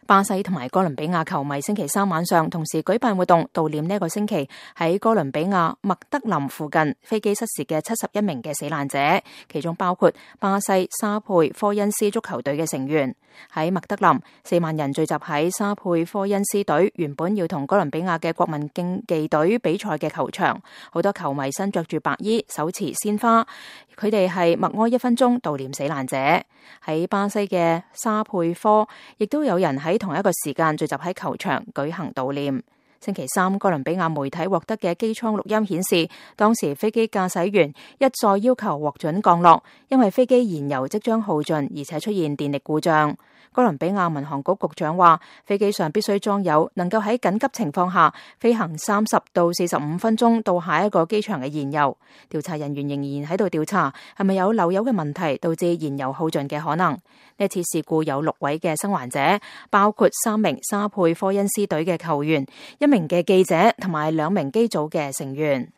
巴西同埋哥倫比亞球迷星期三晚上同時舉辦活動，悼念呢個星期喺哥倫比亞麥德林附近飛機失事嘅71名嘅死難者，其中包括巴西沙佩科恩斯足球隊嘅成員。喺麥德林，4萬人聚集喺沙佩科恩斯隊原本要同哥倫比亞嘅國民競技隊比賽嘅球場，好多球迷身着住白衣，手持鮮花，佢哋係默哀1分鐘悼念死難者。喺巴西嘅沙佩科，亦都有人喺同一個時間聚集喺球場舉行悼念。星期三，哥倫比亞媒體獲得嘅機艙錄音顯示，當時飛機駕駛員一再要求獲准降落，因為飛機燃油即將耗盡，而且出現電力故障。哥倫比亞民航局局長話，飛機上必須裝有能夠喺緊急情況下飛行30到45分鐘到下一個機場嘅燃油。調查人員仍然喺度調查係咪有漏油嘅問題導致燃油耗盡嘅可能。呢次事故有6位嘅生還者，包括3名沙佩科恩斯隊嘅球員、1名嘅記者同埋2名機組嘅成員。